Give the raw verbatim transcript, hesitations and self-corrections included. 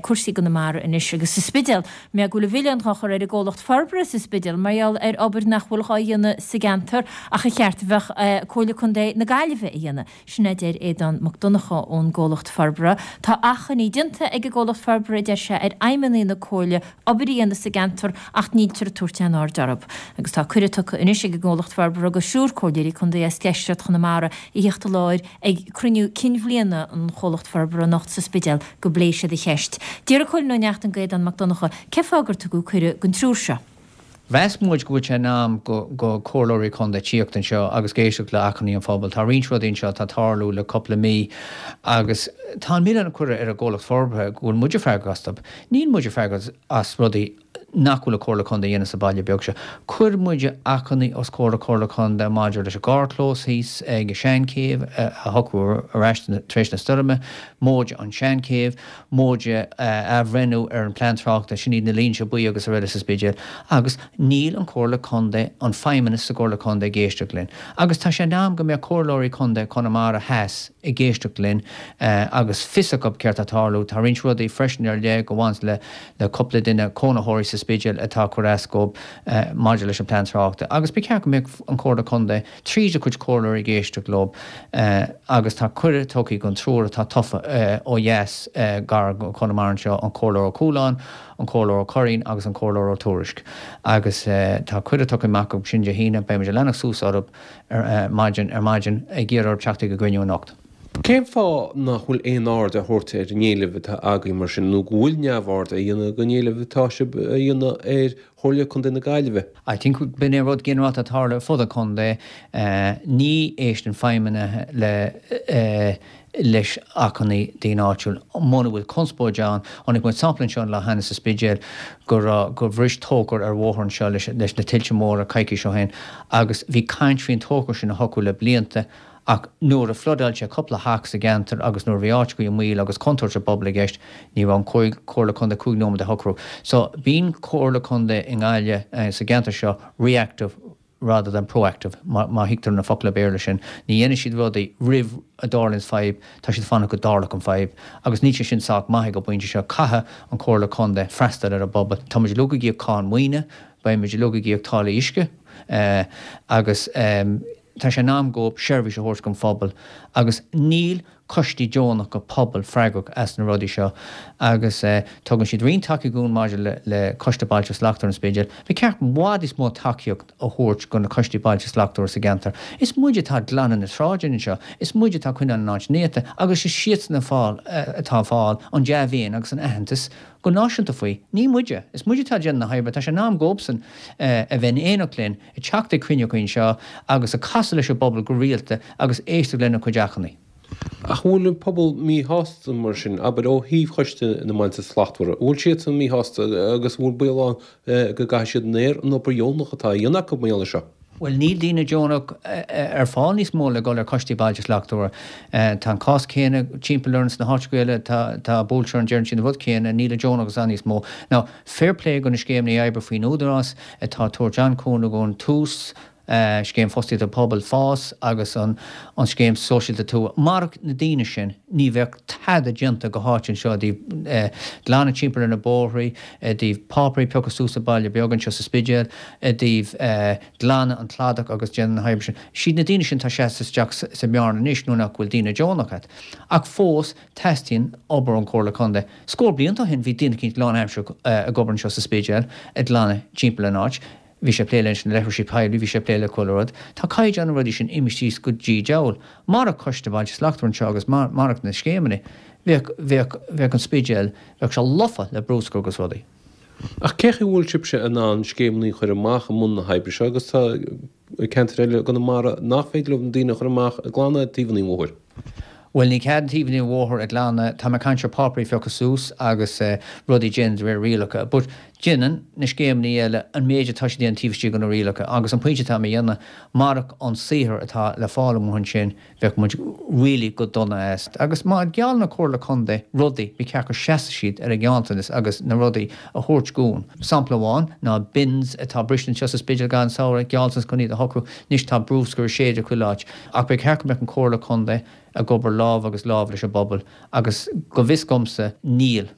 cúrsaí Chonamara anois agus sa Spidéal mé go bhfuil an milleán á chur ar an gcomhlacht forbartha sa Spidéal mar gheall ar obair nach bhfuil á dhéanamh sa gceantar ach a cheart bheith Comhairle Contae na Gaillimhe a dhéanamh. Sin a deir Aodán Mac Donncha ón gcomhlacht forbartha. Tá achainí déanta ag an gcomhlacht forbartha deir sé ar fheidhmeannaigh na comhairle obair a dhéanamh sa gceantar ach níltear ag tabhairt aon aird orthu. Agus tá cuireadh tugtha anois ag an gcomhlacht forbartha do thriúr comhairleoirí contae as deisceart Chonamara a theacht i láthair ag cruinniú cinn bhliana an chomhlacht forbartha anocht sa Spidéal go bpléifidh siad an cheist. D'iarr Cóilín Ó Neachtain d'Aodán Mac Donncha cén fáth gur tugadh cuireadh don triúr seo. Mheas muid go bhfuil sé in am go go comhairleoirí contae tíocht anseo agus éisteacht le achainí an phobail. Tá roinnt rudaí anseo atá ag tarlú le cúpla mí agus tá an milleán á chur ar an gcomhlacht forbartha go bhfuil muide freagrach astu. Níl muide freagrach as rudaí nach bhfuil an Chomhairle Contae a dhéanamh sa baile beag seo. Chuir muide achainí os comhair Comhairle Contae maidir leis an gcarrchlós thíos ag an Seanchéibh a shocrú ar ais tar éis na stoirme, móide an Seanchéibh, móide athbhreithniú ar an plean tráchta sin iad na línte buí agus araile sa Spidéal, agus níl an Chomhairle Contae an feidhmeannas sa gComhairle Contae ag éisteacht linn. Agus tá sé in am go mbeadh comhairleoirí Contae Chonamara Theas ag éisteacht linn agus fios acu céard atá ag tarlú, tá roinnt rudaí freisin ar leith go bhaineann le le cúpla duine cónaitheoirí sa Spidéal atá ag cur as dóibh maidir leis an plean tráchta. Agus ba cheart go mbeadh an Chomhairle Contae tríd a cuid comhairleoirí ag éisteacht leo agus tá cuireadh tugtha don triúr atá tofa ó dheas gar Conamara anseo an Comhairleoir Ó Cualáin, an Comhairleoir Ó Curraoin agus an Comhairleoir Ó Tuairisg. Agus tá cuireadh tugtha amach acu sin Dé hAoine, beidh muid ag leanacht suas orthu ar maidin ar maidin ag iarraidh orthu teacht ag an gcruinniú anocht. Cén fáth nach bhfuil aon aird á thabhairt ar an éileamh atá agaibh mar sin nó go bhfuil neamhaird á dhéanamh den éileamh atá sibh a dhéanamh ar Chomhairle Contae na Gaillimhe? I think b'in é rud ginearálta atá ag tarlú ar fud an chontae ní éisteann feidhmeannaithe le leis achainí daoine áitiúil muna bhfuil conspóid ann chonaic muid sampla anseo an lá cheana sa Spidéal go raibh gur bhris tóchar ar bhóthar anseo leis leis na tuilte móra coicís ó shin agus bhí caint faoin tóchar sin a shocrú le blianta ach nuair a floodáil sé cúpla teach sa gceantar agus nuair a bhí áit i mbaol agus contúirt don bpobal i gceist ní raibh an Comhairle Contae cúig nóiméad a shocrú. So bíonn Comhairle Contae i nGaillimh sa gceantar seo reactive rather than proactive má thuigtear na focla Béarla sin. Ní dhéanann siad rudaí roimh a dtarlaíonn fadhb, tá siad fanacht go dtarlóidh an fadhb, agus níl sé sin sách maith ag an bpointe seo caithfidh an Comhairle Contae freastal ar an bpobal. Tá muid uilig ag íoc cáin maoine, beidh muid uilig ag íoc táillí uisce agus tá sé in am dóibh seirbhís a thabhairt don phobal agus níl coistí deonacha pobail freagrach as na rudaí seo agus tugann siad roinnt tacaíocht dúinn maidir le le Coiste Bailte Slachtmhara an Spidéil. Ba cheart i bhfad níos mó tacaíocht a thabhairt do na coistí Bailte Slachtmhara sa gceantar. Is muid atá ag glanadh na sráideanna anseo, is muid atá ag coinneáil an áit néata agus is siadsan a fáil atá ag fáil an dea-mhéin agus an aitheantas go náisiúnta faoi. Ní muide, is muid atá ag déanamh na hoibre, tá sé in am dóibhsan a bheith in éineacht linn, ag teacht ag cruinniú anseo agus ag casadh leis an bpobal go rialta agus éisteacht lena cuid achainí. Ach bhfuil an pobal míshásta mar sin, abair ó thaobh Choiste na mBailte Slachtmhara, bhfuil siadsan míshásta agus bhfuil baol ann go gcaithfidh siad in aer an obair dheonach atá á dhéanamh acu mar gheall air seo? Bhuel níl daoine deonach ar fáil níos mó le dul ar choistí Bailte Slachtmhara. Tá an cás céanna timpeall orainn sna háiteacha eile tá buailte orainn deireann siad an rud céanna, níl an deonachas ann níos mó. Now fair play do na scéimeanna oibre faoin Údarás atá ag tabhairt an-chúnamh ón tús, scéim fostaíochta pobail FÁS agus an an scéim sóisialta tuaithe. Murach na daoine sin ní bheadh tada déanta go háit anseo i dtaobh glanadh timpeall ar na bóithrí, i dtaobh páipéirí a phiocadh suas sa baile beag anseo sa Spidéal, i dtaobh glanadh an cladach agus déanamh na hoibre sin. Siad na daoine sin atá seasta isteach sa mbearna anois nuair nach bhfuil daoine deonach agat. Ach fós teastaíonn obair ón Chomhairle Contae. Scór blianta ó shin bhí daoine eicínt lánaimseartha ag obair anseo sa Spidéal ag glanadh timpeall an áit. Bhí sé ag plé leis na leithrisí poiblí, bhí sé ag plé le chuile rud. Tá caighdeán na rudaí sin imithe síos go dtí diabhal. Murach Coiste Bailte Slachtmhara anseo agus murach na scéimeanna, bheadh, bheadh, bheadh an Spidéal, bheadh sé lofa le bruscar agus rudaí. Ach cé chaoi a bhfuil sibhse in ann scéimeanna a chur amach i mbun na hoibre seo agus tá ceantair eile i gConamara nach féidir leo na daoine a chur amach ag glanadh taobhanna an bhóthair? Bhuel ní cead taobhanna an bhóthair a ghlanadh, tá mé ag caint ar páipéirí a phiocadh suas agus rudaí déanamh de réir rialacha, but déanann na scéimeanna eile an méid atá siad déanamh taobh istigh de na rialacha agus an pointe atá mé a dhéanamh, murach an saothar atá le fáil amuigh ansin bheadh muid really go dona as. Agus má gheallann an Comhairle Contae rudaí, ba cheart go seasfadh siad ar a ngealltanas agus na rudaí a thabhairt dhúinn. Sampla amháin ná bins atá briste anseo sa Spidéal gach samhradh, gealltanas chun iad a shocrú, anois tá bruscar ag séideadh chuile áit. Ach ba cheart go mbeadh an Comhairle Contae ag obair lámh agus lámh leis an bpobal agus go bhfios domsa níl.